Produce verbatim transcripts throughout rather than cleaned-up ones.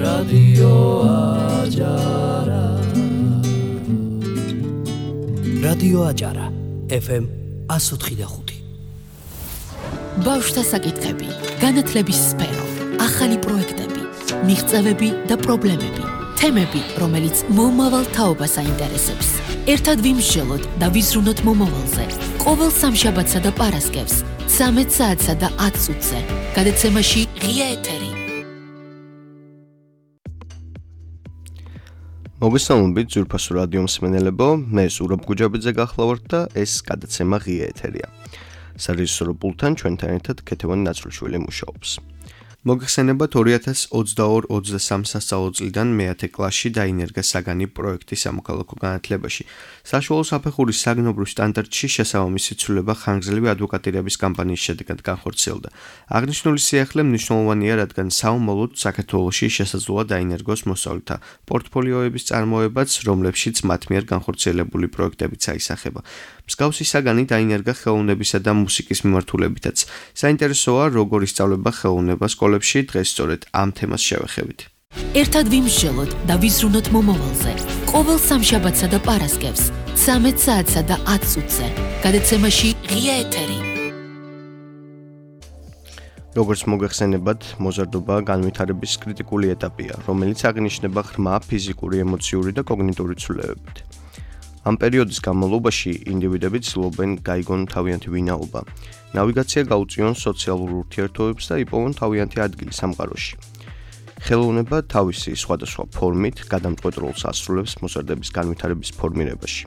რადიო აჯარა რადიო აჯარა ეფ ემ one oh five point five ბავშვთა საკითხები, განათლების სფერო, ახალი პროექტები, მიღწევები და პრობლემები, თემები, რომელიც მომავალ თაობას აინტერესებს. ერთად ვიმსჯელოთ და ვიზრუნოთ მომავალზე. ყოველ სამშაბათსა და პარასკევს, ცამეტ საათსა და ათს ოცზე, გადაცემაში ღია ეთერი. მოგესალმებით ძვირფასო რადიო მსმენელებო, მე ზურაბ გუჯაბიძე გახლავართ და ეს გადაცემა ღია ეთერია. სარეჟისორო პულტთან ჩვენთან ერთად ქეთევანი ნაცრულიშვილი მუშაობს. მოგხსენებათ ორი ათას ოცდაორი ოცდასამი სასწავლო წლიდან მეათე კლასში დაინერგა საგანი პროექტი სამოქალაქო განათლებაში. საშუალო საფეხურის საგნობრივ სტანდარტში შესაბამისი ცვლილება ხანგრძლივი ადვოკატირების კამპანიის შედეგად განხორციელდა. აღნიშნული სიახლე მნიშვნელოვანია, რადგან საომალოდ საქართველოში შესაძლოა დაინერგოს მოსწავლეთა პორტფოლიოების წარმოებაც, რომლებშიც მათ მიერ განხორციელებული პროექტებიც აისახება. მსგავსი საგანი დაინერგა ხელოვნებისა და მუსიკის მიმართულებითაც. საინტერესოა, როგორ ისწავლება ხელოვნება სკოლებში, დღეს სწორედ ამ თემას შევეხებით. ერთად ვიმსჯელოთ და ვიზრუნოთ მომავალზე. ყოველ სამშაბათსა და პარასკევს, ცამეტ საათსა და ათს ოცზე, გადაცემაში ღია ეთერი. როგორც მოგეხსენებათ, მოზარდობა განვითარების კრიტიკული ეტაპია, რომელიც აღინიშნება ღრმა ფიზიკური, ემოციური და კოგნიტური ცვლილებებით. ამ პერიოდის განმავლობაში ინდივიდები ცდილობენ გაიგონ თავიანთი ვინაობა, ნავიგაცია გაუწიონ სოციალურ ურთიერთობებს და იპოვონ თავიანთი ადგილი სამყაროში. ხელოვნება თავისი სხვადასხვა ფორმით გადამწყვეტ როლს ასრულებს მოზარდების განვითარების ფორმირებაში.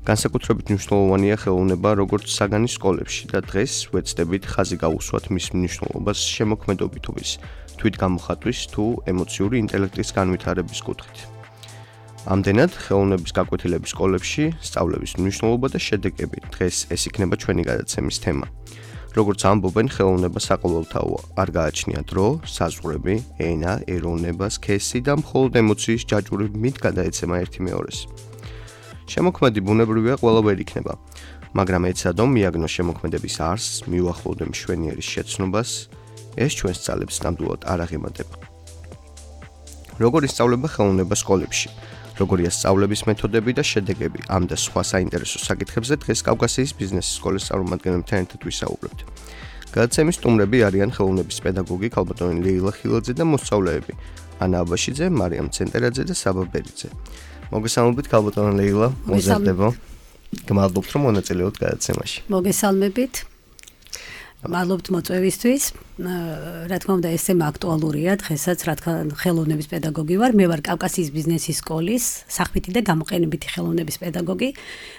განსაკუთრებით მნიშვნელოვანია ხელოვნება როგორც საგანი სკოლებში და დღეს ვეცდებით ხაზი გავუსვათ მის მნიშვნელობას შემოქმედობითობის, თვითგამოხატვის თუ ემოციური ინტელექტის განვითარების კუთხით. ამდენად, ხელოვნების გაკვეთილების სკოლებში სწავლების მნიშვნელობა და შედეგები. დღეს ეს იქნება ჩვენი გადაცემის თემა. როგორც ამბობენ, ხელოვნება საყოველთაოა, არ გააჩნია დრო, საზღვრები, ენა, ეროვნება, სქესი და მხოლოდ ემოციის ჯაჭვურებით გადაეცემა ერთი მეორეს. შემოქმედი ბუნებრივია, ყველა ვერ იქნება, მაგრამ ეცადო მიაგნო შემოქმედების არსს, მიუახლოვდე მშვენიერის შეცნობას, ეს ჩვენს ძალებს ნამდვილად არ აღემატება. როგორ ისწავლება ხელოვნება სკოლებში? როგორია სწავლების მეთოდები და შედეგები? ამ და სხვა საინტერესო საკითხებზე დღეს კავკასიის ბიზნესის სკოლის წარმომადგენლებთან ერთად ვისაუბრებთ. გადაცემის სტუმრები არიან ხელოვნების პედაგოგი ქალბატონი ლეილა ხილაძე და მოსწავლეები ანა აბაშიძე, მარიამ ცენტერაძე და საბა ბერიძე. მოგესალმებით ქალბატონი ლეილა, მოზარდებო. გმადლობთ რომ მონაწილეობთ გადაცემაში. მოგესალმებით. მადლობთ მოწვევისთვის. რა თქმა უნდა, ეს თემა აქტუალურია დღესაც, რადგან ხელოვნების პედაგოგი ვარ. მე ვარ კავკასიის ბიზნესის სკოლის სახვითი და გამოყენებითი ხელოვნების პედაგოგი.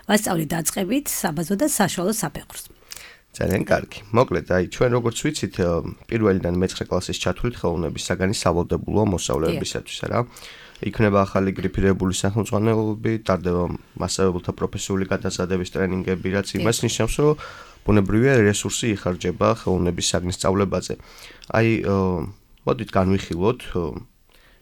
ვასწავლი დაწყებით, საბაზო და საშუალო საფეხურს. ძალიან კარგი. მოკლედ, აი ჩვენ როგორც ვიცით, პირველიდან მეცხრე კლასის ჩათვლით ხელოვნების საგანი სავალდებულოა მოსწავლეებისათვის, რა. იქნება ახალი გრიფირებული სახელმძღვანელოები, ტარდება მასწავლებელთა პროფესიული გადაზადების ტრენინგები, რაც იმას ნიშნავს, რომ ბუნებრივია რესურსი იხარჯება ხელოვნების საგნის სწავლებაზე. აი, მოდით განვიხილოთ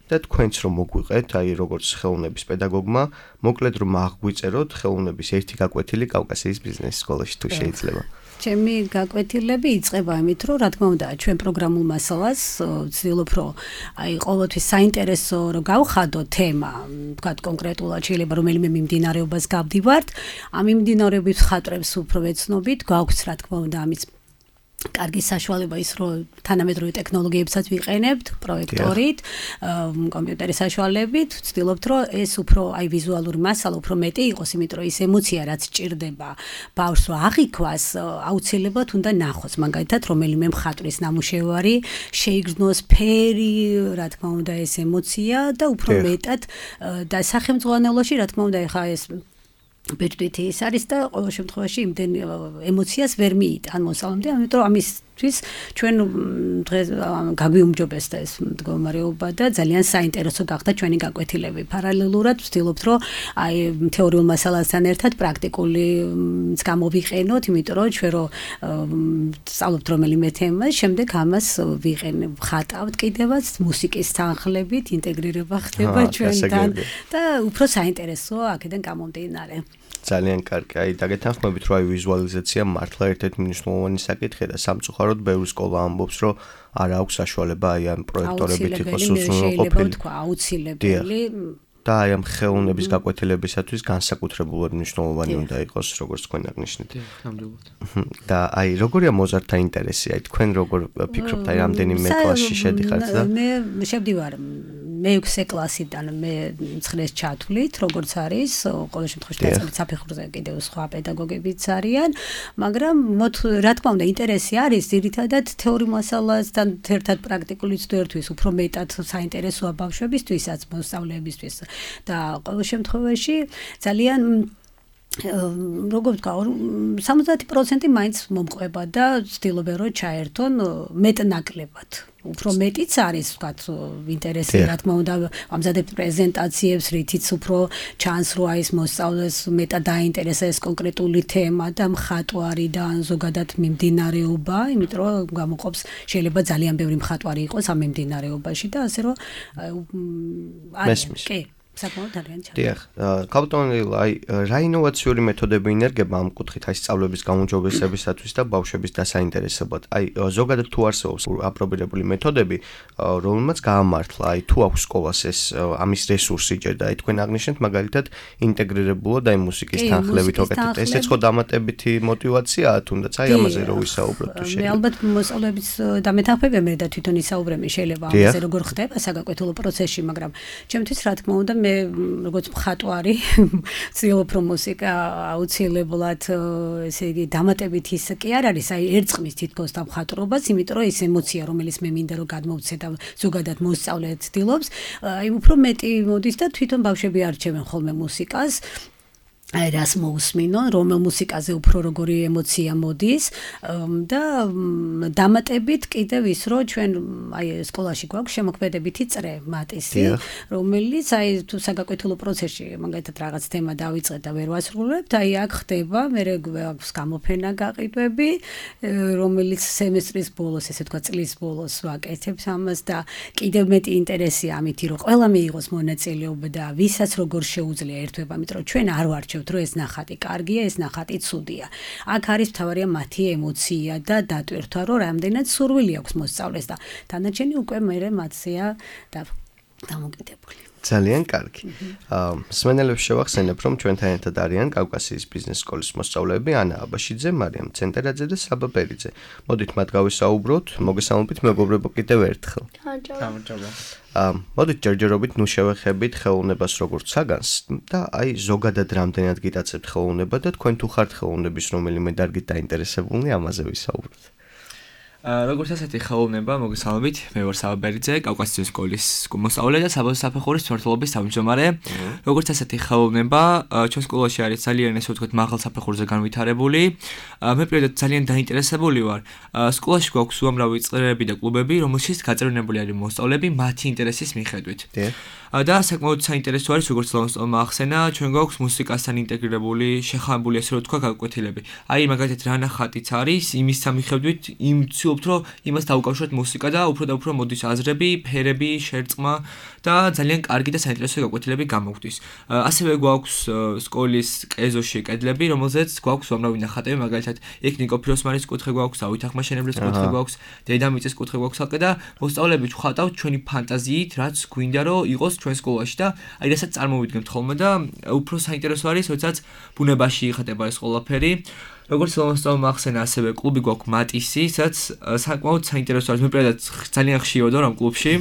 და თქვენც რომ მოგვიყეთ, აი როგორც ხელოვნების პედაგოგმა, მოკლედ რომ აღგვიწეროთ ხელოვნების ერთი გაკვეთილი კავკასიის ბიზნესის სკოლაში თუ შეიძლება. ჩემი გაკვეთილები იწყება იმით, რომ რა თქმა უნდა, ჩვენ პროგრამულ მასალას ვცდილობ, რომ აი ყოველთვის საინტერესო რომ გავხადო თემა, თქვათ კონკრეტულად შეიძლება რომელიმე მიმდინარეობას გავდივართ, ამ მიმდინარეობის ხატრებს უფრო ვეცნობით, გვაქვს რა თქმა უნდა ამის კარგი საშუალება ის, რომ თანამედროვე ტექნოლოგიებსაც ვიყენებთ, პროექტორით, კომპიუტერის საშუალებით, ვცდილობთ, რომ ეს უფრო აი ვიზუალური მასალა უფრო მეტი იყოს, იმიტომ რომ ის ემოცია, რაც ჭირდება ბავშვს რომ აღიქვას, აუცილებლად უნდა ნახოს, მაგალითად, რომელიმე მხატვრის ნამუშევარი, შეიგრძნოს ფერი, რა თქმა უნდა, ეს ემოცია და უფრო მეტად და სახელმძღვანელოში, რა თქმა უნდა, ეხა ეს ბეჭდვითი ის არის და ყოველ შემთხვევაში იმდენ ემოციას ვერ მიიტან მოსწავლემდე, ამიტომ ამისთვის ჩვენ დღეს გაგვიუმჯობესდა ეს მდგომარეობა და ძალიან საინტერესო გახდა ჩვენი გაკვეთილები. პარალელურად ვცდილობთ, რომ აი თეორიულ მასალასთან ერთად პრაქტიკულიც გამოვიყენოთ, იმიტომ რომ ჩვენ რო სწავლობთ რომელიმე თემას, შემდეგ ამას ვიყენებ, ხატავთ კიდევაც მუსიკის თანხლებით, ინტეგრირება ხდება ჩვენთან და უფრო საინტერესოა აქედან გამომდინარე. ძალიან კარგი. აი, დაგეთანხმებით, რომ აი ვიზუალიზაცია მართლა ერთ-ერთი მნიშვნელოვანი საკითხია და სამწუხაროდ სამწუხაროდ ბევრი სკოლა ამბობს, რომ არ აქვს საშუალება აი ამ პროექტორებით იყოს უზრუნველყოფილი. აუცილებელი და აი ამ ხელოვნების გაკვეთილებისათვის განსაკუთრებულად მნიშვნელოვანი უნდა იყოს, როგორც თქვენ აღნიშნეთ. და აი როგორია მოზარდთა ინტერესი? აი თქვენ როგორ ფიქრობთ, აი რამდენიმე კლასში შედიხართ და მე შევდივარ მეექვსე კლასიდან მე ცხრეს ჩათვლით, როგორც არის, ყოველ შემთხვევაში დაწყებით საფეხურზე კიდევ სხვა პედაგოგებიც არიან, მაგრამ რა თქმა უნდა ინტერესი არის ძირითადად თეორიულ მასალასთან ერთად პრაქტიკული ცდერთვის უფრო მეტად საინტერესოა ბავშვებისთვისაც, მოსწავლეებისთვის და ყოველ შემთხვევაში ძალიან როგორ ვთქვა, სამოცდაათი პროცენტი მაინც მომყვება და ვცდილობენ რომ ჩაერთონ მეტნაკლებად. უფრო მეტიც არის, ვთქვათ, ინტერესი, რა თქმა უნდა, ამზადებთ პრეზენტაციებს, რითიც უფრო ჩანს, რომ აი ეს მოსწავლეს მეტად დაინტერესა ეს კონკრეტული თემა და მხატვარი და ზოგადად მიმდინარეობა, იმიტომ რომ გამოყოფს შეიძლება ძალიან ბევრი მხატვარი იყოს ამ მიმდინარეობაში და ასე რომ მესმის. კი საკმაოდ ძალიან ჩა. დიახ, კაპიტანი, აი რა ინოვაციური მეთოდები ინერგება ამ კუთხით აი სწავლების გაუმჯობესებისათვის და ბავშვების დასაინტერესებლად. აი ზოგადად თუ არსებობს აპრობირებული მეთოდები, რომელმაც გაამართლა, აი თუ აქვს სკოლას ეს ამის რესურსი ჯერ და აი თქვენ აღნიშნეთ მაგალითად ინტეგრირებულად აი მუსიკის თანხლებით ოკეთებთ. ესეც ხო დამატებითი мотиваციაა, თუნდაც აი ამაზე რო ვისაუბროთ თუ შეიძლება. მე ალბათ მოსწავლეების დამეთანხმებია მე და თვითონ ისაუბრები შეიძლება ამაზე როგორ ხდება საგაკვეთილო პროცესში, მაგრამ ჩემთვის რა თქმა უნდა მე როგორც მხატვარი ვცდილობ რომ მუსიკა აუცილებლად ესე იგი დამატებით ის კი არ არის, აი ერწყმის თითქოს და მხატვრობას, იმიტომ რომ ეს ემოცია რომელიც მე მინდა რომ გადმოვცე და ზოგადად მოსწავლე ცდილობს, აი უფრო მეტი მოდის და თვითონ ბავშვები არჩევენ ხოლმე მუსიკას. აი რას მოусმინო, რომელ მუსიკაზე უფრო როგორი ემოცია მოდის და დამატებით კიდევ ის რომ ჩვენ აი სკოლაში გვაქვს შემოქმედებითი წრე მატისი, რომელიც აი თუ საგაკვეთილო პროცესში მაგალითად რაღაც თემა დავიწყეთ და ვერ ვასრულებთ, აი აქ ხდება, მე გვაქვს გამოფენა გაყიდვები, რომელიც სემესტრის ბოლოს, ესე თქვა წლის ბოლოს ვაკეთებთ ამას და კიდევ მეტი ინტერესია ამითი, რომ ყველა მიიღოს მონაწილეობა და ვისაც როგორ შეუძლია ერთვება, იმიტომ რომ ჩვენ არ ვარჩევთ რომ ეს ნახატი კარგია, ეს ნახატი ცუდია. აქ არის მთავარია მათი ემოცია და დატვირთვა, რომ რამდენად სურვილი აქვს მოსწავლეს და დანარჩენი უკვე მერე მათზეა დამოკიდებული. ძალიან კარგი. მსმენელებს შევახსენებ, რომ ჩვენთან ერთად არიან კავკასიის ბიზნეს სკოლის მოსწავლეები ანა აბაშიძე, მარიამ ცენტერაძე და საბა პერიძე. მოდით მათ გავისაუბროთ, მოგესალმებით მეგობრებო კიდევ ერთხელ. გამარჯობა. მოდით ჯერჯერობით ნუ შევეხებით ხელოვნებას როგორც საგანს და აი ზოგადად რამდენად გიტაცებთ ხელოვნება და თქვენ თუ ხართ ხელოვნების რომელიმე დარგით დაინტერესებული, ამაზე ვისაუბროთ. როგორც ასეთი ხელოვნება, მოგესალმებით, მე ვარ საბა პერიძე, კავკასიის სკოლის მოსწავლე და საბა საფეხურის მმართველობის თავმჯდომარე. როგორც ასეთი ხელოვნება, ჩვენ სკოლაში არის ძალიან ესე ვთქვათ მაღალ საფეხურზე განვითარებული. მე პირადად ძალიან დაინტერესებული ვარ. სკოლაში გვაქვს უამრავი წრეები და კლუბები, რომელშიც გაწევრიანებული არის მოსწავლეები მათი ინტერესის მიხედვით. და საკმაოდ საინტერესო არის, როგორც ლომსტოლმა ახსენა, ჩვენ გვაქვს მუსიკასთან ინტეგრირებული, შეხამებული ასე რომ თქვა გაკვეთილები. აი მაგალითად რა ნახატიც არის, იმის სამიხედვით იმ ვცდილობთ რომ იმას დაუკავშიროთ მუსიკა და უფრო და უფრო მოდის აზრები, ფერები, შერწყმა და ძალიან კარგი და საინტერესო გაკვეთილები გამოგვდის. ასევე გვაქვს სკოლის ყეზოში კედლები, რომელზეც გვაქვს უამრავი ნახატები, მაგალითად იქ ნიკო ფიროსმანის კუთხე გვაქვს, დავით ახმაშენებლის კუთხე გვაქვს, დედამიწის კუთხე გვაქვს ალყე და მოსწავლეები ვხატავთ ჩვენი ფანტაზიით, რაც გვინდა რომ იყოს ჩვენ სკოლაში და აი რასაც წარმოვიდგენთ ხოლმე და უფრო საინტერესო არის, როდესაც ბუნებაში იხატება ეს ყველაფერი. როგორც ლომსტოლმა ახსენა, ასევე კლუბი გვაქვს მატისი, სადაც საკმაოდ საინტერესო არის. მე პირადად ძალიან ხშირად ვარ ამ კლუბში.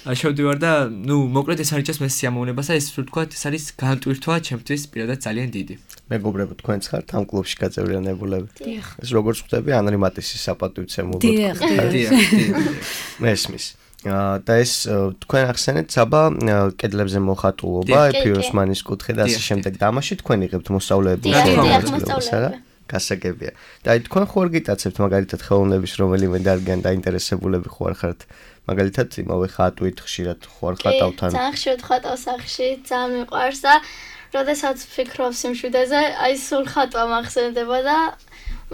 შევდივარ და ნუ მოკლედ ეს არის მე სიამოვნებას და ეს ვთქვათ, ეს არის განტვირთვა ჩემთვის პირადად ძალიან დიდი. მეგობრებო, თქვენც ხართ ამ კლუბში გაწევრიანებულები? დიახ. ეს როგორც ხვდები, ანრი მატისის საპატივცემულოდ. დიახ, დიახ. მესმის. და ეს თქვენ ახსენეთ საბა კედლებზე მოხატულობა, ფიროსმანის კუთხე და ასე შემდეგ და ამაში თქვენ იღებთ მოსწავლეების მონაწილეობას, არა? გასაგებია. და აი თქვენ ხო არ გიტაცებთ მაგალითად ხელოვნების რომელიმე დარგიან დაინტერესებულები ხო არ ხართ? მაგალითად იმავე ხატვით ხშირად ხო არ ხატავთ ან? ძალიან ხშირად ხატავ სახში, ძალიან მიყვარს და როდესაც ვფიქრობ სიმშვიდეზე, აი სულ ხატვა მახსენდება და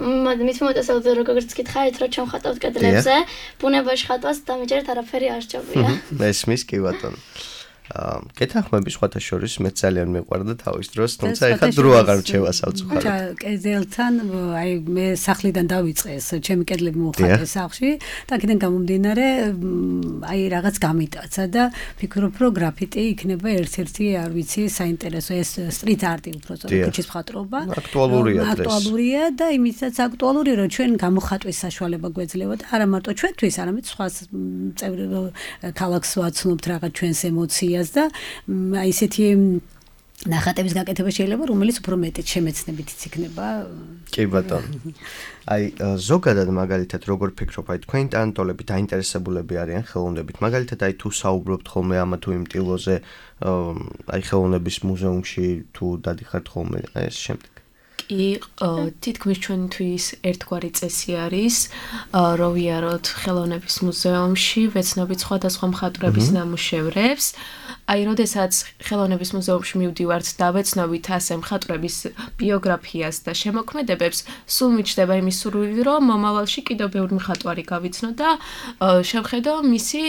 მით მომწესავდე როგორც გითხარით, რომ ჩვენ ხატავთ კედლებზე, ბუნებაში ხატვას დამიჯერეთ არაფერი არ სჭირდება. მესმის კი ბატონო. კეთახმები სხვათა შორის მე ძალიან მიყვარდა თავის დროს, თუმცა ეხლა დრო აღარ რჩევა საუცხორო. ხა კერძელთან აი მე სახლიდან დავიწყე ეს ჩემი კედლები მოხატე სახლში და აქედან გამომდინარე აი რაღაც გამიტაცა და ფიქრობ რომ გრაფიტი იქნება ერთ-ერთი არ ვიცი საინტერესო ეს სტრიტ არტი უბრალოდ ქუჩის მხატვრობა. აქტუალურია დღეს. აქტუალურია და იმისაც აქტუალურია რომ ჩვენ გამოხატვის საშუალება გვეძლევა და არა მარტო ჩვენთვის, არამედ სხვა წევრი ქალაქს ვაცნობთ რაღაც ჩვენს ემოციას და აი ესეთი ნახატების გაკეთება შეიძლება რომელიც უფრო მეტად შემეცნებითიც იქნება. კი ბატონო. აი ზოგადად მაგალითად როგორ ფიქრობ აი თქვენი ტანტოლები დაინტერესებულები არიან ხელოვნებით. მაგალითად აი თუ საუბრობთ ხოლმე ამა თუ იმ ტილოზე აი ხელოვნების მუზეუმში თუ დადიხართ ხოლმე აი ეს შემდეგ. კი, თითქმის ჩვენთვის ერთგვარი წესი არის, რომ ვიაროთ ხელოვნების მუზეუმში, ვეცნობით სხვადასხვა მხატვრების ნამუშევრებს. აი, როდესაც ხელოვნების მუზეუმში მივდივართ და ვეცნობით ასე მხატვრების ბიოგრაფიას და შემოქმედებებს, სულ მიჩნდება იმის სურვილი, რომ მომავალში კიდევ ბევრი მხატვარი გავიცნო და შევხედო მისი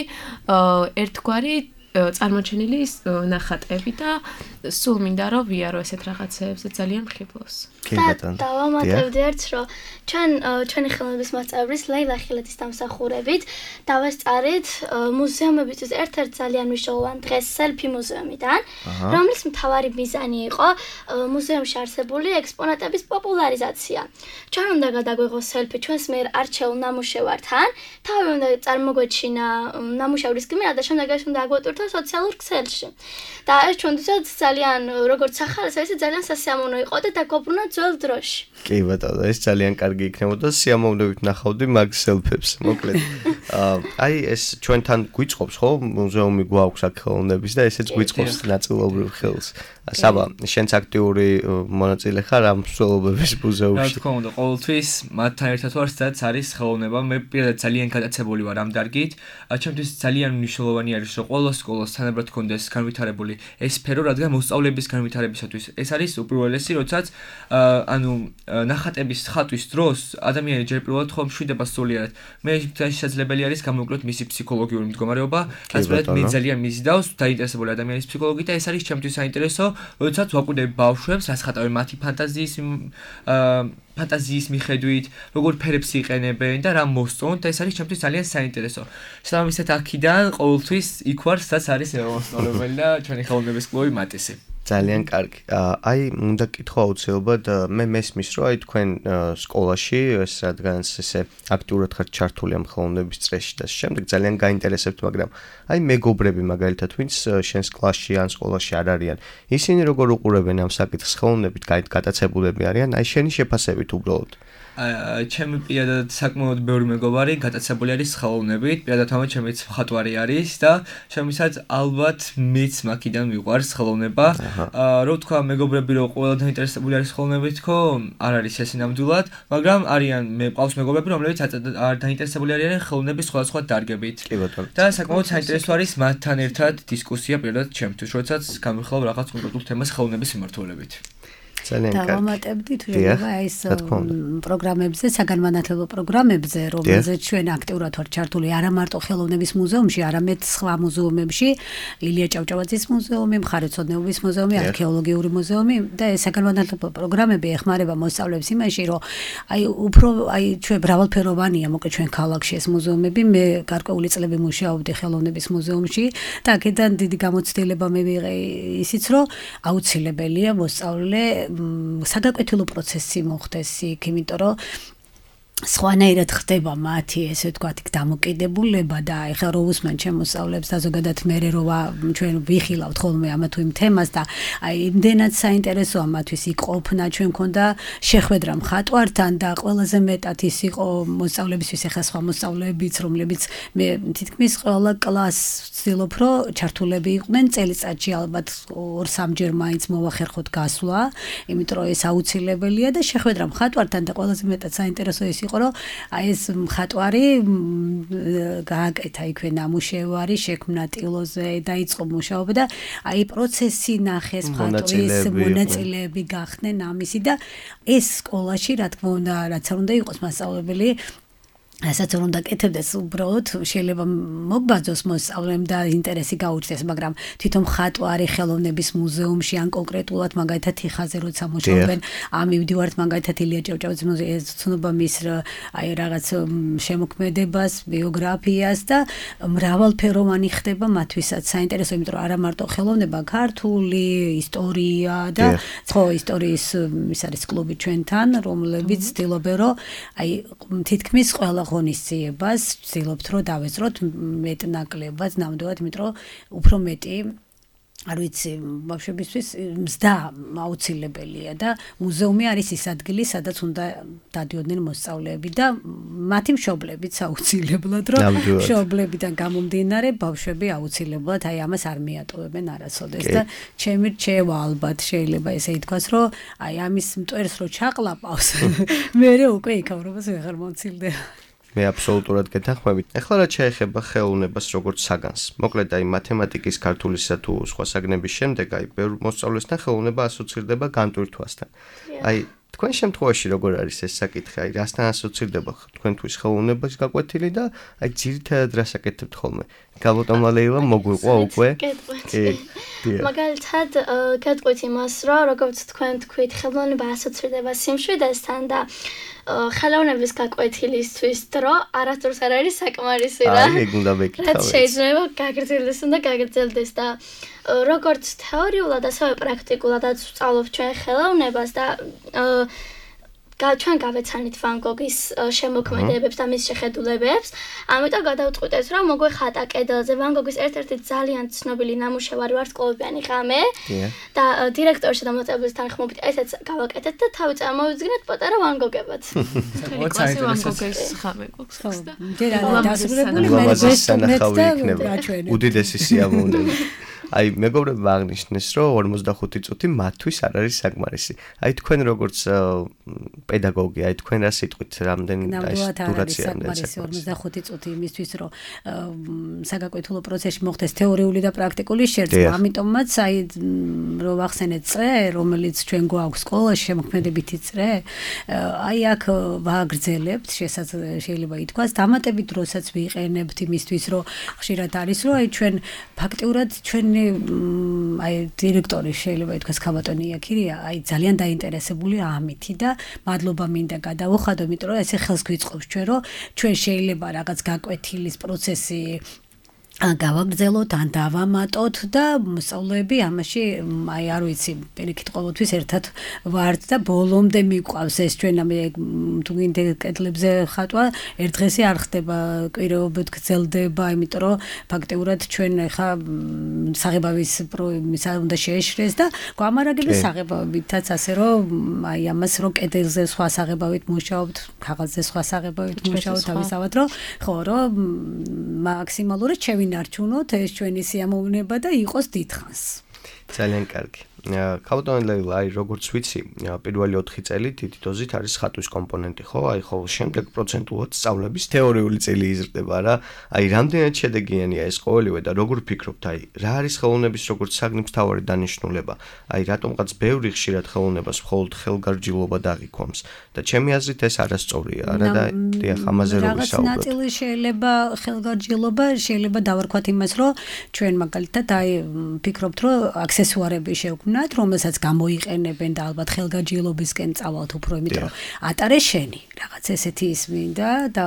ერთგვარი წარმოჩენილი ნახატები და სულ მინდა რომ ვიარო ესეთ რაღაცეებზე ძალიან მხიბლოს. დავამატებდი ერთ რომ ჩვენ ჩვენი ხელოვნების მასწავლებლის ლეილა ხილეთის დამსახურებით დავესწარით მუზეუმებისთვის ერთ-ერთ ძალიან მნიშვნელოვან დღეს სელფი მუზეუმიდან, რომლის მთავარი მიზანი იყო მუზეუმში არსებული ექსპონატების პოპულარიზაცია. ჩვენ უნდა გადაგვეღოს სელფი ჩვენს მიერ არჩეულ ნამუშევართან, თავი უნდა წარმოგვეჩინა ნამუშევრის გმირა და შემდეგ ეს უნდა აგვატვირთო სოციალურ ქსელში. და ეს ჩვენთვისაც ძალიან როგორც სახალხო ესე ძალიან სასიამოვნო იყო და დაგობრუნა ძველ დროში. კი ბატონო, ეს ძალიან კარგი იქნებოდა სიამოვნებით ნახავდი მაგ სელფებს, მოკლედ. აი ეს ჩვენთან გვიწყობს ხო მუზეუმი გვაქვს აქ ხელოვნების და ესეც გვიწყობს ნაწილობრივ ხელს. საბა, შენც აქტიური მონაწილე ხარ ამ მსვლელობების მუზეუმში. რა თქმა უნდა, ყოველთვის მათთან ერთად ვარ, სადაც არის ხელოვნება. მე პირადად ძალიან გადაცებული ვარ ამ დარგით. ჩემთვის ძალიან მნიშვნელოვანი არის, რომ ყველა სკოლას თანაბრად კონდეს განვითარებული ეს სფერო, რადგან მოსწავლეების განვითარებისათვის ეს არის უპირველესი, როდესაც ანუ ნახატების ხატვის დროს ადამიანი ჯერ პირველად ხომ მშვიდება სულიერად. მე შესაძლებელი არის გამოვკლოთ მისი ფსიქოლოგიური მდგომარეობა, ასეთ მე ძალიან მიზიდავს დაინტერესებული ადამიანის ფსიქოლოგიით და ეს არის ჩემთვის საინტერესო, როდესაც ვაკვირდები ბავშვებს, რას ხატავენ მათი ფანტაზიის ფანტაზიის მიხედვით, როგორ ფერებს იყენებენ და რა მოსწონთ და ეს არის ჩემთვის ძალიან საინტერესო. შესაბამისად აქედან ყოველთვის იქ ვარ, სადაც არის მოსწავლებელი და ჩვენი ხელოვნების კლუბი მატისი. ძალიან კარგი. აი, უნდა კითხო აუცილებლად, მე მესმის, რომ აი თქვენ სკოლაში, ეს რადგანაც ესე აქტიურად ხართ ჩართული ამ ხელოვნების წრეში და შემდეგ ძალიან გაინტერესებთ, მაგრამ აი მეგობრები მაგალითად, ვინც შენს კლასში ან სკოლაში არ არიან, ისინი როგორ უყურებენ ამ საკითხს ხელოვნებით, გატაცებულები არიან, აი შენი შეფასებით უბრალოდ. ჩემი პირადად საკმაოდ ბევრი მეგობარი გატაცებული არის ხელოვნებით, პირადად ამათ ჩემიც მხატვარი არის და შემისაც ალბათ მეც მაქიდან მიყვარს ხელოვნება. რო თქვა მეგობრები რომ ყველა დაინტერესებული არის ხელოვნებით თქო, არ არის ეს ნამდვილად, მაგრამ არიან მე ყავს მეგობრები, რომლებიც არ დაინტერესებული არიან ხელოვნების სხვადასხვა დარგებით. და საკმაოდ საინტერესო არის მათთან ერთად დისკუსია პირადად ჩემთვის, როდესაც გამიხილავ რაღაც კონკრეტულ თემას ხელოვნების მიმართულებით. ძალიან კარგი. დავამატებდი თუ შეიძლება ეს პროგრამებზე, საგანმანათლებლო პროგრამებზე, რომელზეც ჩვენ აქტიურად ვართ ჩართული არა მარტო ხელოვნების მუზეუმში, არამედ სხვა მუზეუმებში, ლილია ჭავჭავაძის მუზეუმი, მხარეთმცოდნეობის მუზეუმი, არქეოლოგიური მუზეუმი და ეს საგანმანათლებლო პროგრამები ეხმარება მოსწავლეებს იმაში, რომ აი უფრო აი ჩვენ მრავალფეროვანია, მოკლედ ჩვენ ქალაქში ეს მუზეუმები, მე გარკვეული წლები მუშაობდი ხელოვნების მუზეუმში და აქედან დიდი გამოცდილება მე ვიღე ისიც, რომ აუცილებელია მოსწავლე საგაკვეთილო პროცესი მოხდეს იქ, იმიტომ რომ სხვანაირად ხდება მათი ესე ვთქვათ დამოკიდებულება და ეხლა რო უსმენ ჩემ მოსწავლეებს და ზოგადად მე რო ჩვენ ვიხილავთ ხოლმე ამა თუ იმ თემას და აი იმდენად საინტერესოა მათთვის იქ ყოფნა, ჩვენ მქონდა შეხვედრა მხატვართან და ყველაზე მეტად ის იყო მოსწავლებისთვის, ეხლა სხვა მოსწავლეებიც, რომლებიც მე თითქმის ყველა კლასს ვცდილობ რომ ჩართულები იყვნენ წელიწადში ალბათ ორ-სამჯერ მაინც მოვახერხოთ გასვლა, იმიტომ რომ ეს აუცილებელია და შეხვედრა მხატვართან და ყველაზე მეტად საინტერესო ის იყო რომ აი ეს მხატვარი გააკეთა იქვე ნამუშევარი, შექმნა ტილოზე, დაიწყო მუშაობა და აი პროცესი ნახეს მხატვრის, მონაწილეები გახდნენ ამისი და ეს სკოლაში რა თქმა უნდა რაც არ უნდა იყოს მასწავლებელი ასაც რომ დაკეთებდეს უბრალოდ შეიძლება მოგბაძოს მოსწავლემ და ინტერესი გაუჩნდეს, მაგრამ თვითონ მხატვარი ხელოვნების მუზეუმში ან კონკრეტულად მაგალითად თიხაზე როცა მუშაობენ, ამივდივართ მაგალითად ილია ჭავჭავაძის მუზეუმში, ეცნობა მის აი რაღაც შემოქმედებას, ბიოგრაფიას და მრავალფეროვანი ხდება მათთვისაც საინტერესო, იმიტომ რომ არა მარტო ხელოვნება, ქართული ისტორია და ხო ისტორიის ის არის კლუბი ჩვენთან, რომლებიც ცდილობენ რომ აი თითქმის ყველა ღონისძიებას ვცდილობთ რომ დავეძროთ მეტნაკლებად ნამდვილად, იმიტომ რომ უფრო მეტი არ ვიცი, ბავშვებისთვის მზდა აუცილებელია და მუზეუმი არის ის ადგილი, სადაც უნდა დადიოდნენ მოსწავლეები და მათი მშობლებიც აუცილებლად, რომ მშობლებიდან გამომდინარე ბავშვები აუცილებლად აი ამას არ მიატოვებენ არასოდეს და ჩემი რჩევა ალბათ შეიძლება ესე ითქვას, რომ აი ამის მტვერს რო ჩაყლაპავს, მერე უკვე იქავრობას ვეღარ მომცილდება. მე აბსოლუტურად გეთანხმებით. ეხლა რა შეეხება ხელოვნებას როგორც საგანს. მოკლედ აი მათემატიკის, ქართულისა თუ სხვა საგნების შემდეგ აი ბევრ მოსწავლესთან ხელოვნება ასოცირდება განტვირთვასთან. აი თქვენ შემთხვევაში როგორ არის ეს საკითხი? აი რასთან ასოცირდება თქვენთვის ხელოვნების გაკვეთილი და აი ძირითადად რას აკეთებთ ხოლმე? გალოტომა ლეილა მოგვიყვა უკვე? მაგალითად გეტყვით იმას, რომ როგორც თქვენ თქვით, ხელოვნება ასოცირდება სიმშვიდესთან და ხელოვნების გაკვეთილისთვის დრო არასდროს არ არის საკმარისი რა. აი, ეგ უნდა ვეკითხავ. რაც შეიძლება გაგრძელდეს და გაგრძელდეს და როგორც თეორიულად, ასევე პრაქტიკულადაც ვსწავლობ ჩვენ ხელოვნებას და ჩვენ გავეცანით ვან გოგის შემოქმედებებს და მის შეხედულებებს. ამიტომ გადავწყვიტეთ, რომ მოგვეხატა კედელზე ვან გოგის ერთ-ერთი ძალიან ცნობილი ნამუშევარი ვარსკვლავიანი ღამე და დირექტორში და მოწვევის თანხმობით ესეც გავაკეთეთ და თავი წარმოვიდგინეთ პატარა ვან გოგებად. კლასი ვან გოგის ღამე გვაქვს და დასრულებული მე სანახავი იქნება. უდიდესი სიამოვნება. აი მეგობრებმა აღნიშნეს, რომ ორმოცდახუთი წუთი მათთვის არ არის საკმარისი. აი თქვენ როგორც პედაგოგი, აი თქვენ რა სიტყვით, რამდენი დურაცია საკმარისი ორმოცდახუთი წუთი იმისთვის, რომ საგაკვეთილო პროცესში მოხდეს თეორიული და პრაქტიკული შერწყმა. ამიტომაც აი რომ ვახსენეთ წრე, რომელიც ჩვენ გვაქვს სკოლაში შემოქმედებითი წრე, აი აქ ვაგრძელებთ, შეიძლება ითქვას, დამატებით დროსაც ვიყენებთ იმისთვის, რომ ხშირად არის, რომ აი ჩვენ ფაქტიურად ჩვენ აი დირექტორი შეიძლება ითქვას ქაბატონი იაკირია, აი ძალიან დაინტერესებული ამითი და მადლობა მინდა გადავუხადო, იმიტომ რომ ესე ხელს გვიწყობს ჩვენ, რომ ჩვენ შეიძლება რაღაც გაკვეთილის პროცესი გავაგრძელოთ ან დავამატოთ და მოსწავლეები ამაში აი არ ვიცი, პირიქით ყოველთვის ერთად ვართ და ბოლომდე მიყვავს ეს ჩვენ ამ თუ გინდა კედლებზე ხატვა ერთ დღესი არ ხდება, კვირაობით გრძელდება, იმიტომ რომ ფაქტიურად ჩვენ ხა საღებავის პრომისა უნდა შეეშრეს და გვამარაგებენ საღებავითაც ასე რომ აი ამას რომ კედელზე სხვა საღებავით მუშაობთ, ქაღალდზე სხვა საღებავით მუშაობთ, თავისავად რომ ხო რომ მაქსიმალურად შევი ნარჩუნოთ ეს ჩვენი სიამოვნება და იყოს დიდხანს. ძალიან კარგი. ქაბატონი ლეილა, აი როგორც ვიცი, პირველი ოთხი წელი დიდი დოზით არის ხატვის კომპონენტი, ხო? აი ხოლმე შემდეგ პროცენტულად სწავლების თეორიული წელი იზრდება რა. აი რამდენად შედეგიანია ეს ყოველივე და როგორ ფიქრობთ, აი რა არის ხელოვნების როგორც საგნის მთავარი დანიშნულება? აი რატომღაც ბევრი ხშირად ხელოვნებას მხოლოდ ხელგარჯილობა დაღიქვამს და ჩემი აზრით ეს არასწორია, არა და დიახ, ამაზე რო ვისაუბროთ. რაღაც ნაწილი შეიძლება ხელგარჯილობა, შეიძლება დავარქვათ იმას, რომ ჩვენ მაგალითად აი ფიქრობთ, რომ აქსესუარები შევქმნათ, რომელსაც გამოიყენებენ და ალბათ ხელგაჯილობისკენ წავალთ უფრო, იმიტომ რომ ატარე შენი რაღაც ესეთი ის მინდა და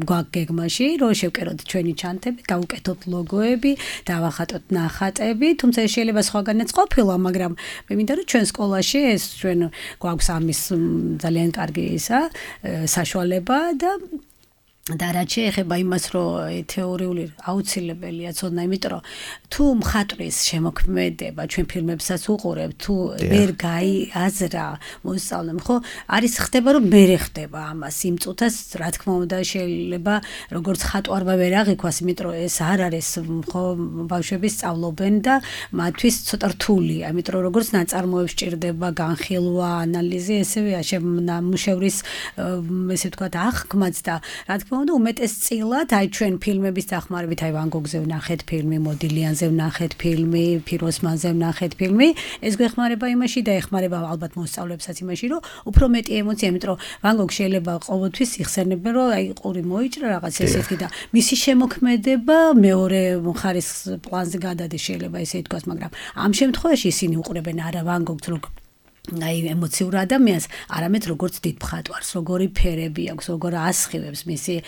გვაქვს გეგმაში, რომ შევკეროთ ჩვენი ჩანთები, გავუკეთოთ ლოგოები, დავახატოთ ნახატები, თუმცა ეს შეიძლება სხვაგანაც ყოფილა, მაგრამ მე მინდა რომ ჩვენ სკოლაში ეს ჩვენ გვაქვს ამის ძალიან კარგი ისა საშუალება და და რაც შეეხება იმას, რომ თეორიული აუცილებელია ცოდნა, იმიტომ რომ თუ მხატვრის შემოქმედება ჩვენ ფილმებსაც უყურებთ, თუ ვერ გაიაზრა მოსწავლემ, ხო, არის ხდება, რომ მერე ხდება ამას იმ წუთას, რა თქმა უნდა, შეიძლება როგორც ხატვარმა ვერ აღიქვას, იმიტომ რომ ეს არ არის, ხო, ბავშვები სწავლობენ და მათთვის ცოტა რთულია, იმიტომ რომ როგორც ნაწარმოებს ჭირდება განხილვა, ანალიზი, ესევე ნამუშევრის ესე ვთქვათ, აღქმაც და რა თქმა თქმა უნდა, უმეტესწილად აი ჩვენ ფილმების დახმარებით, აი ვან გოგზე ვნახეთ ფილმი, მოდილიანზე ვნახეთ ფილმი, ფიროსმანზე ვნახეთ ფილმი, ეს გვეხმარება იმაში და ეხმარება ალბათ მოსწავლეებსაც იმაში, რომ უფრო მეტი ემოცია, იმიტომ რომ ვან გოგი შეიძლება ყოველთვის იხსენებენ, რომ აი ყური მოიჭრა რაღაც ესეთი და მისი შემოქმედება მეორე მხარეს პლანზე გადადის შეიძლება ესე ითქვას, მაგრამ ამ შემთხვევაში ისინი უყურებენ არა ვან გოგს, რომ აი ემოციურ ადამიანს, არამედ როგორც დიდ მხატვარს, როგორი ფერები აქვს, როგორ ასხივებს მისი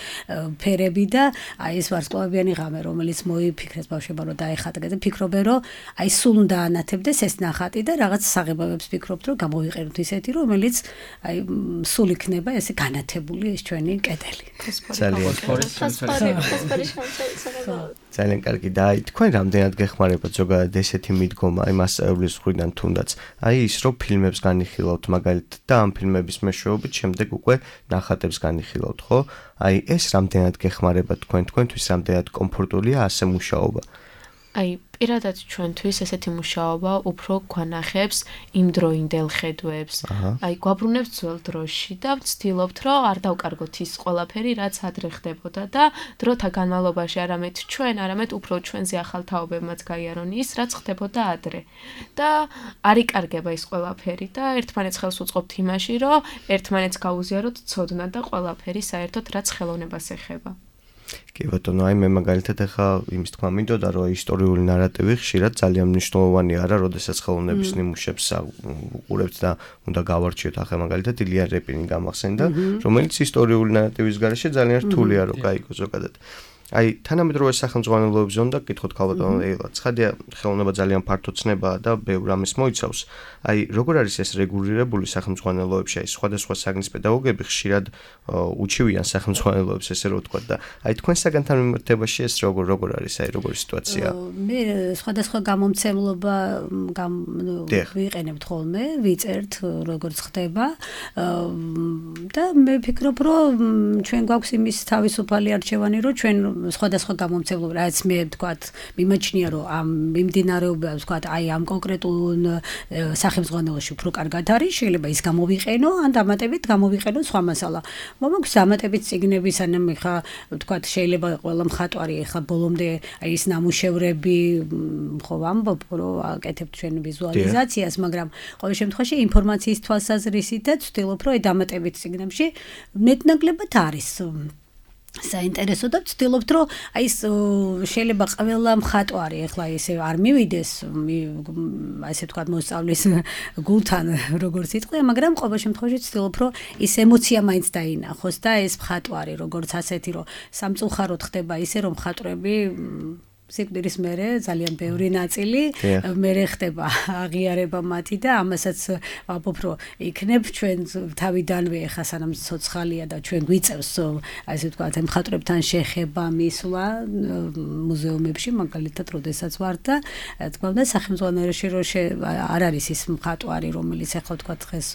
ფერები და აი ეს ვარსკვლავიანი ღამე, რომელიც მოიფიქრეს ბავშვებმა, რომ დაეხატა და ფიქრობენ, რომ აი სულ უნდა ანათებდეს ეს ნახატი და რაღაც საღებავებს ფიქრობთ, რომ გამოვიყენოთ ისეთი, რომელიც აი სულ იქნება ესე განათებული ეს ჩვენი კედელი. ძალიან ძალიან კარგი და აი თქვენ რამდენად გეხმარებათ ზოგადად ესეთი მიდგომა აი მასწავლებლის მხრიდან თუნდაც აი ის რომ ფილმებს განიხილავთ მაგალითად და ამ ფილმების მეშვეობით შემდეგ უკვე ნახატებს განიხილავთ ხო? აი ეს რამდენად გეხმარებათ თქვენ თქვენთვის რამდენად კომფორტულია ასე მუშაობა? აი პირადად ჩვენთვის ესეთი მუშაობა უფრო გვანახებს იმდროინდელ ხედვებს. აი გვაბრუნებს ძველ დროში და ვცდილობთ, რომ არ დავკარგოთ ის ყველაფერი, რაც ადრე ხდებოდა და დროთა განმავლობაში არამედ ჩვენ, არამედ უფრო ჩვენზე ახალ თაობებმაც გაიარონ ის, რაც ხდებოდა ადრე. და არ იკარგება ის ყველაფერი და ერთმანეთს ხელს უწყობთ იმაში, რომ ერთმანეთს გაუზიაროთ ცოდნა და ყველაფერი საერთოდ რაც ხელოვნებას ეხება. კი ბატონო, აი მე მაგალითად ახლა იმის თქვა მინდოდა, რომ ისტორიული ნარატივი ხშირად ძალიან მნიშვნელოვანი არა, როდესაც ხელოვნების ნიმუშებს უყურებთ და უნდა გავარჩიოთ ახლა მაგალითად ილია რეპინი გამახსენდა, რომელიც ისტორიული ნარატივის გარეშე ძალიან რთულია რომ გაიგო ზოგადად. აი თანამედროვე სახელმძღვანელოებზე უნდა გკითხოთ ქალბატონო ელა, ცხადია ხელოვნება ძალიან ფართო ცნებაა და ბევრ ამის მოიცავს. აი როგორ არის ეს რეგულირებული სახელმძღვანელოებში, აი სხვადასხვა საგნის პედაგოგები ხშირად უჩივიან სახელმძღვანელოებს ესე რომ ვთქვა და აი თქვენ საგანთან მიმართებაში ეს როგორ როგორ არის, აი როგორი სიტუაცია? მე სხვადასხვა გამომცემლობა ვიყენებთ ხოლმე, ვიწერთ როგორც ხდება და მე ვფიქრობ, რომ ჩვენ გვაქვს იმის თავისუფალი არჩევანი, რომ ჩვენ სხვადასხვა გამომცემლობა, რაც მე ვთქვათ, მიმაჩნია, რომ ამ მიმდინარეობა, ვთქვათ, აი ამ კონკრეტულ სახელმძღვანელოში უფრო კარგად არის, შეიძლება ის გამოვიყენო, ან დამატებით გამოვიყენო სხვა მასალა. მომაქვს დამატებით წიგნები, სანამ ხა, ვთქვათ, შეიძლება ყველა მხატვარი ხა ბოლომდე აი ის ნამუშევრები, ხო ვამბობ, რომ აკეთებთ ჩვენ ვიზუალიზაციას, მაგრამ ყოველ შემთხვევაში ინფორმაციის თვალსაზრისით და ვცდილობ, რომ აი დამატებით წიგნებში მეტნაკლებად არის საინტერესო და ვცდილობთ, რომ აი ეს შეიძლება ყველა მხატვარი ახლა ესე არ მივიდეს, ასე ვთქვათ, მოსწავლის გულთან, როგორც იტყვია, მაგრამ ყოველ შემთხვევაში ვცდილობ, რომ ის ემოცია მაინც დაინახოს და ეს მხატვარი, როგორც ასეთი, რომ სამწუხაროდ ხდება ისე, რომ მხატვრები სიკვდილის მერე ძალიან ბევრი ნაწილი მერე ხდება აღიარება მათი და ამასაც ვამბობ, რომ იქნებ ჩვენ თავიდანვე ხა სანამ ცოცხალია და ჩვენ გვიწევს ასე ვთქვათ მხატვრებთან შეხება მისვლა მუზეუმებში მაგალითად როდესაც ვარ და თქვა უნდა სახელმძღვანელოში რომ არ არის ის მხატვარი რომელიც ახლა ვთქვათ დღეს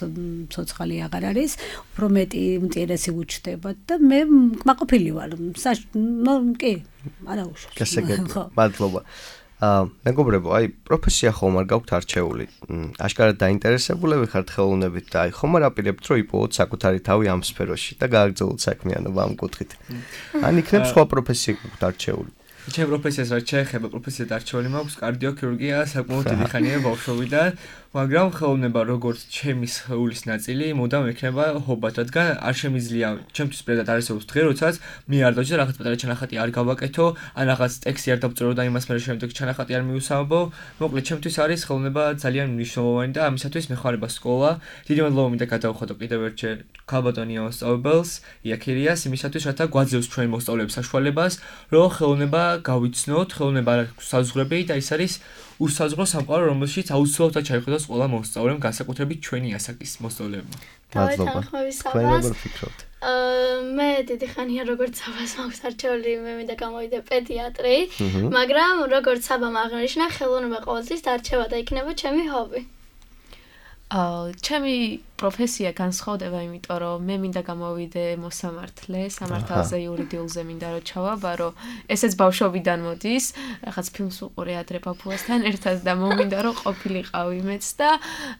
ცოცხალი აღარ არის უფრო მეტი ინტერესი უჩნდება და მე კმაყოფილი ვარ ნუ კი არა უშავს გასაგებია მადლობა. აა მეგობრებო, აი პროფესია ხომ არ გაქვთ არჩეული? აშკარად დაინტერესებულები ხართ ხელოვნებით და აი ხომ არ აპირებთ რომ იპოვოთ საკუთარი თავი ამ სფეროში და გააგრძელოთ საქმიანობა ამ კუთხით. ან იქნებ სხვა პროფესია გაქვთ არჩეული? ჩემ პროფესიას რაც შეეხება, პროფესიად არჩეული მაქვს კარდიოქირურგია, საკმაოდ დიდი ხანია ბავშვობიდან, მაგრამ ხელოვნება როგორც ჩემი სხეულის ნაწილი, მუდამ ექნება ჰობად, რადგან არ შემიძლია ჩემთვის პრედად არსებობს დღე, როდესაც მე არ დავჭერ რაღაც პატარა ჩანახატი არ გავაკეთო, ან რაღაც ტექსტი არ დავწერო და იმას მე შემდეგ ჩანახატი არ მიუსამბო. მოკლედ, ჩემთვის არის ხელოვნება ძალიან მნიშვნელოვანი და ამისათვის მეხარება სკოლა. დიდი მადლობა მინდა გადავხადო კიდევ ერთჯერ ქალბატონი მოსწავლებს, იაკირიას, იმისათვის, რათა გვაძლევს ჩვენ მოსწავლეებს საშუალებას, რომ ხელოვნება გავიცნოთ, ხელოვნება აქვს საზღვრები და ის არის უსაზღვრო სამყარო, რომელშიც აუცილებლად ჩაიხვდოს ყველა მოსწავლემ, განსაკუთრებით ჩვენი ასაკის მოსწავლეებმა. მადლობა. თქვენ როგორ ფიქრობთ? მე დიდი ხანია როგორც საბას მაქვს არჩეული, მე მინდა გამოვიდე პედიატრი, მაგრამ როგორც საბამ აღნიშნა, ხელოვნება ყოველთვის დარჩება და იქნება ჩემი ჰობი. ჩემი პროფესია განსხვავდება, იმიტომ რომ მე მინდა გამოვიდე მოსამართლე, სამართალზე, იურიდიულზე მინდა რომ ჩავაბარო. ესეც ბავშვობიდან მოდის, რაღაც ფილმს უყურე ადრე ბაბუასთან ერთად და მომინდა რომ ყოფილიყავი მეც და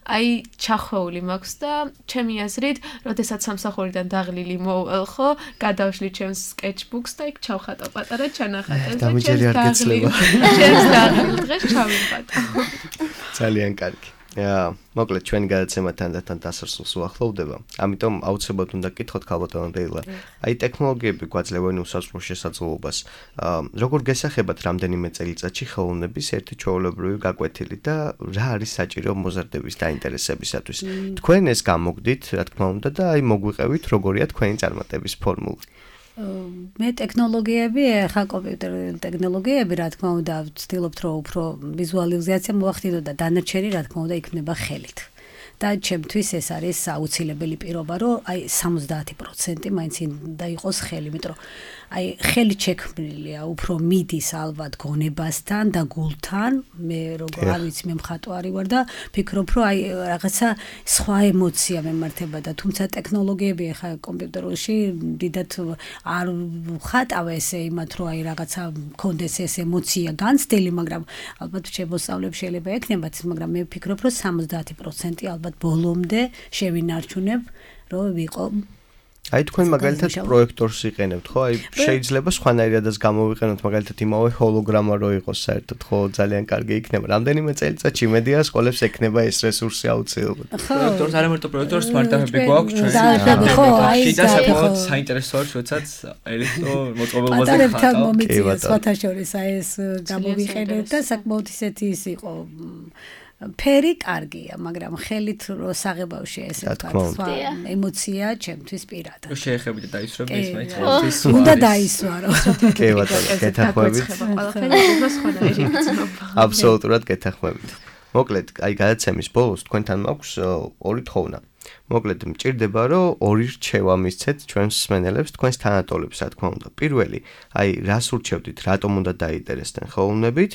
აი ჩახვეული მაქვს და ჩემი აზრით, როდესაც სამსახურიდან დაღლილი მოვალ ხო, გადავშლი ჩემს sketchbooks და იქ ჩავხატო პატარა ჩანახატებს და ჩემს დაღლილ ჩემს დაღლილ დღეს ჩავიმხატო. ძალიან კარგი. Ja, მოკლედ ჩვენი გადაცემა თანდათან დასასრულს უახლოვდება. ამიტომ აუცილებლად უნდა გკითხოთ ქალბატონო დეილა. აი ტექნოლოგიები გვაძლევენ უსაზღვრო შესაძლებლობას. როგორ გესახებათ რამდენიმე წელიწადში ხელოვნების ერთი ჩვეულებრივი გაკვეთილი და რა არის საჭირო მოზარდების დაინტერესებისათვის? თქვენ ეს გამოგდით, რა თქმა უნდა და აი მოგვიყევით როგორია თქვენი წარმატების ფორმულა. მე ტექნოლოგიები, ხა კომპიუტერული ტექნოლოგიები, რა თქმა უნდა, ვცდილობთ რომ უფრო ვიზუალიზაცია მოახდინო და დანარჩენი რა თქმა უნდა იქნება ხელით. და ჩემთვის ეს არის აუცილებელი პირობა, რომ აი სამოცდაათი პროცენტი მაინც უნდა იყოს ხელი, იმიტომ რომ აი ხელი შექმნილია, უფრო მიდის ალბათ გონებასთან და გულთან. მე როგორ არ ვიცი, მე მხატვარი ვარ და ფიქრობ, რომ აი რაღაცა სხვა ემოცია მემართება და თუმცა ტექნოლოგიები ხა კომპიუტერში დიდათ არ ხატავ ესე იმათ, რომ აი რაღაცა მქონდეს ეს ემოცია განცდილი, მაგრამ ალბათ შემოსავლებს შეიძლება ექნებათ, მაგრამ მე ვფიქრობ, რომ სამოცდაათი პროცენტი ალბათ ბოლომდე შევინარჩუნებ, რომ ვიყო აი თქვენ მაგალითად პროექტორს იყენებთ, ხო? აი შეიძლება სხვანაირადაც გამოვიყენოთ მაგალითად იმავე ჰოლოგრამა რო იყოს საერთოდ, ხო, ძალიან კარგი იქნება. რამდენიმე წელიწადში იმედია სკოლებს ექნება ეს რესურსი აუცილებლად. პროექტორს არ ამერტო პროექტორს სმარტაფები გვაქვს ჩვენ. ხო, აი და საკმაოდ საინტერესოა, როდესაც ელექტრო მოწყობილობაზე ხატავ. პატარებთან მომიწია სხვათა შორის აი ეს გამოვიყენეთ და საკმაოდ ისეთი ის იყო ფერი კარგია, მაგრამ ხელით რო საღებავში ესე თქვა, ემოცია ჩემთვის პირადად. რო შეეხებინა დაისვრო ის მაინც. უნდა დაისვარო. კი ბატონო, გეთანხმებით. ყველაფერი უფრო სხვანაირი გწნობა. აბსოლუტურად გეთანხმებით. მოკლედ, აი გადაცემის ბოლოს თქვენთან მაქვს ორი თხოვნა. მოკლედ მჭირდება რომ ორი რჩევა მისცეთ ჩვენს მსმენელებს, თქვენს თანატოლებს, რა თქმა უნდა. პირველი, აი რას ურჩევდით, რატომ უნდა დაინტერესდნენ ხელოვნებით?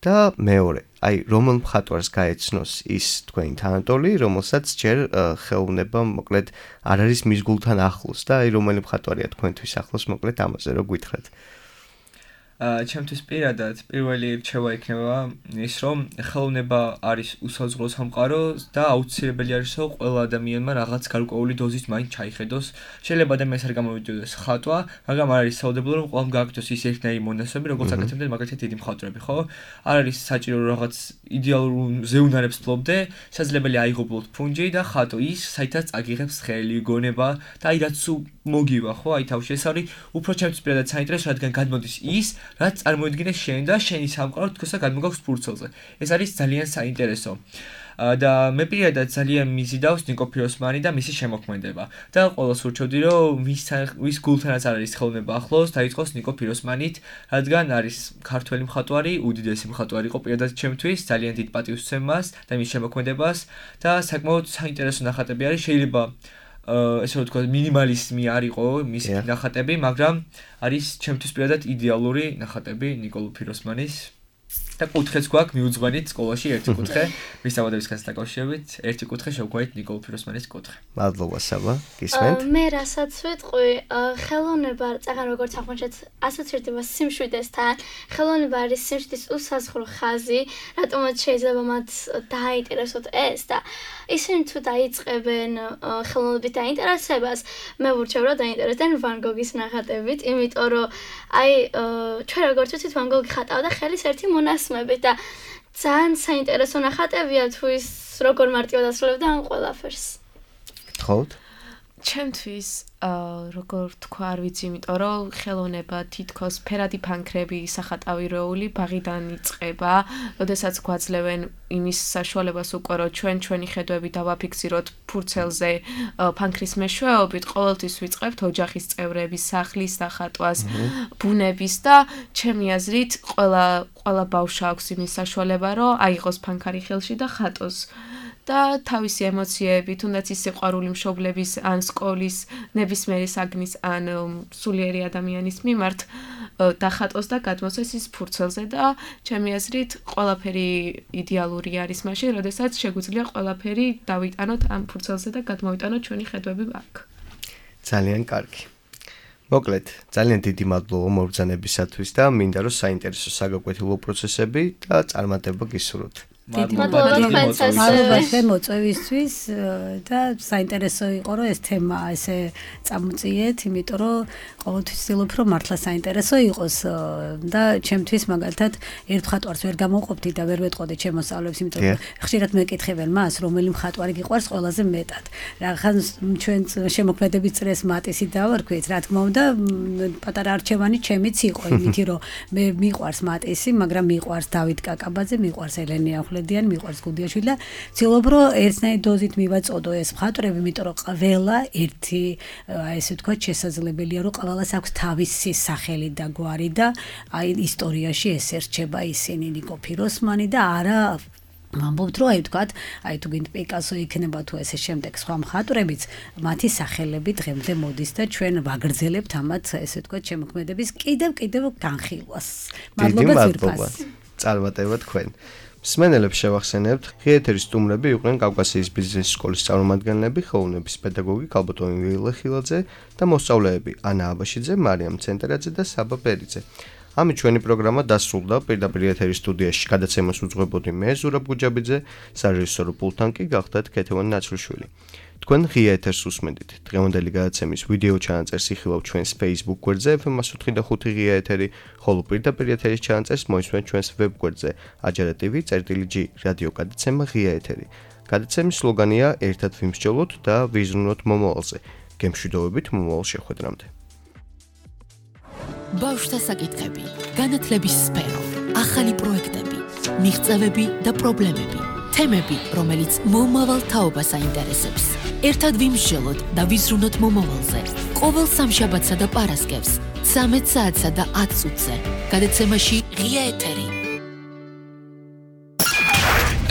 და მეორე, აი რომელ მხატვარს გაეცნოს ის თქვენი თანატოლი, რომელსაც ჯერ ხელოვნება მოკლედ არ არის მის გულთან ახლოს და აი რომელი მხატვარია თქვენთვის ახლოს, მოკლედ ამაზე რო გითხრათ. აა ჩემთვის პირადად პირველი რჩევა იქნება ის, რომ ხელოვნება არის უსაზღვრო სამყარო და აუცილებელი არის, რომ ყველა ადამიანმა რაღაც გარკვეული დოზით მაინც ჩაიხედოს. შეიძლება ადამიანს არ გამოვიდოდეს ხატვა, მაგრამ არ არის საუდებელო, რომ ყველამ გააკეთოს ის ერთნაირი მონაცემები, როგორც აკეთებდნენ მაგალითად დიდი მხატვრები, ხო? არ არის საჭირო რაღაც იდეალურ ზეუნარებს ფლობდე, შესაძლებელი აიღობლოთ ფუნჯი და ხატო ის, საითაც აგიღებს ხელი, გონება და აი რაც მოგივა, ხო? აი თავში ეს არის უფრო ჩემთვის პირადად საინტერესო, რადგან გადმოდის ის რაც წარმოიდგინე შენ და შენი სამყარო თქოსა გადმოგაქვს ფურცელზე. ეს არის ძალიან საინტერესო. და მე პირადად ძალიან მიზიდავს ნიკო ფიროსმანი და მისი შემოქმედება. და ყოველს ურჩევდი, რომ ვის ვის გულთანაც არ არის ხელოვნება ახლოს, დაიწყოს ნიკო ფიროსმანით, რადგან არის ქართველი მხატვარი, უდიდესი მხატვარი იყო პირადად ჩემთვის, ძალიან დიდ პატივს ვცემ მას და მის შემოქმედებას და საკმაოდ საინტერესო ნახატები არის, შეიძლება ესე რომ თქვა მინიმალიზმი არ იყო მისი ნახატები, მაგრამ არის ჩემთვის პირადად იდეალური ნახატები ნიკოლო ფიროსმანის და კუთხეც გვაქვს მიუძღვენით სკოლაში ერთი კუთხე მის საბადოებისგან დაკავშირებით, ერთი კუთხე შევგვარით ნიკოლო ფიროსმანის კუთხე. მადლობა საბა, გისმენთ? მე რასაც ვიტყვი, ხელოვნება წაღან როგორც აღმოჩნდა ასოცირდება სიმშვიდესთან, ხელოვნება არის სიმშვიდის უსაზღვრო ხაზი, რატომაც შეიძლება მათ დააინტერესოთ ეს და ისინი თუ დაიწყებენ ხელოვნებით დაინტერესებას, მე ვურჩევ რომ დაინტერესდნენ ვან გოგის ნახატებით, იმიტომ რომ აი ჩვენ როგორც ვიცით ვან გოგი ხატავდა ხელის ერთი მონასმებით და ძალიან საინტერესო ნახატებია თუ ის როგორ მარტივად ასრულებდა ამ ყველაფერს. გთხოვთ? ჩემთვის როგორ თქვა, არ ვიცი, იმიტომ რომ ხელოვნება თითქოს ფერადი ფანქრები, სახატავი როული ბაღიდან იწყება, როდესაც გვაძლევენ იმის საშუალებას უკვე რომ ჩვენ ჩვენი ხედვები დავაფიქსიროთ ფურცელზე ფანქრის მეშვეობით, ყოველთვის ვიწყებთ ოჯახის წევრების, სახლის დახატვას, ბუნების და ჩემი აზრით ყველა ყველა ბავშვს აქვს იმის საშუალება, რომ აიღოს ფანქარი ხელში და ხატოს. და თავისი ემოციები, თუნდაც ის სიყვარული მშობლების ან სკოლის, ნებისმიერი საგნის ან სულიერი ადამიანის მიმართ დახატოს და გადმოსცეს ის ფურცელზე და ჩემი აზრით ყველაფერი იდეალური არის მაშინ, როდესაც შეგვიძლია ყველაფერი დავიტანოთ ამ ფურცელზე და გადმოვიტანოთ ჩვენი ხედვები აქ. ძალიან კარგი. მოკლედ, ძალიან დიდი მადლობა მობრძანებისათვის და მინდა რომ საინტერესო საგაკვეთილო პროცესები და წარმატება გისურვოთ. მადლობა თქვენ მოწვევისთვის და საინტერესო იყო რომ ეს თემა ესე წამოწიეთ, იმიტომ რომ ყოველთვის ვცდილობ რომ მართლა საინტერესო იყოს და ჩემთვის მაგალითად ერთ მხატვარს ვერ გამოვყოფდი და ვერ ვეტყოდი ჩემ მოსწავლეებს, იმიტომ რომ ხშირად მეკითხებენ მას, რომელი მხატვარი გიყვარს ყველაზე მეტად. რახან ჩვენ შემოქმედების წრეს მატისი დავარქვით, რა თქმა უნდა, პატარა არჩევანი ჩემიც იყო, იმითი რომ მე მიყვარს მატისი, მაგრამ მიყვარს დავით კაკაბაძე, მიყვარს ელენე ახლედიანი, მიყვარს გუდიაშვილი და ვცდილობ რომ ერთნაირი დოზით მივაწოდო ეს მხატვრები, იმიტომ რომ ყველა ერთი აი ესე ვთქვათ შესაძლებელია რომ ყველას აქვს თავისი სახელი და გვარი და აი ისტორიაში ეს ერჩება ისინი ნიკო ფიროსმანი და არა ვამბობთ რომ აი ვთქვათ აი თუ გინდ პიკასო იქნება თუ ესე შემდეგ სხვა მხატვრებიც მათი სახელები დღემდე მოდის და ჩვენ ვაგრძელებთ ამათ ესე ვთქვათ შემოქმედების კიდევ კიდევ განხილვას. მადლობა ძირფას. წარმატება თქვენ. მსმენელებს შევახსენებთ, ღიეთერის სტუმრები იყვნენ კავკასიის ბიზნეს სკოლის წარმომადგენლები, ხელოვნების პედაგოგი ქალბატონი ვილე ხილაძე და მოსწავლეები ანა აბაშიძე, მარიამ ცენტერაძე და საბა პერიძე. ამით ჩვენი პროგრამა დასრულდა. პირდაპირ ეთერის სტუდიაში გადაცემას უძღვებოდი მე, ზურაბ გუჯაბიძე, სარეჟისორო პულტთან კი გახდათ ქეთევან ნაცრუშვილი. თქვენ ღია ეთერს უსმენდით. დღევანდელი გადაცემის ვიდეო ჩანაწერს იხილავთ ჩვენს Facebook გვერდზე ეფ ემ one oh five ღია ეთერი, ხოლო პირდაპირ ეთერის ჩანაწერს მოისმენთ ჩვენს ვებ გვერდზე აჯარა ტივი წერტილი ჯი რადიო გადაცემა ღია ეთერი. გადაცემის სლოგანია ერთად ვიმსჯელოთ და ვიზრუნოთ მომავალზე. გემშვიდობებით მომავალ შეხვედრამდე. ბავშვთა საკითხები, განათლების სფერო, ახალი პროექტები, მიღწევები და პრობლემები, თემები, რომელიც მომავალ თაობას აინტერესებს. ერთად ვიმსჯელოთ და ვიზრუნოთ მომავალზე. ყოველ სამშაბათსა და პარასკევს, ცამეტ საათსა და ათ წუთზე. გადაცემაში ღია ეთერი.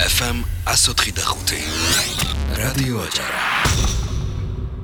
ეფ ემ one oh five რადიო აჯარა.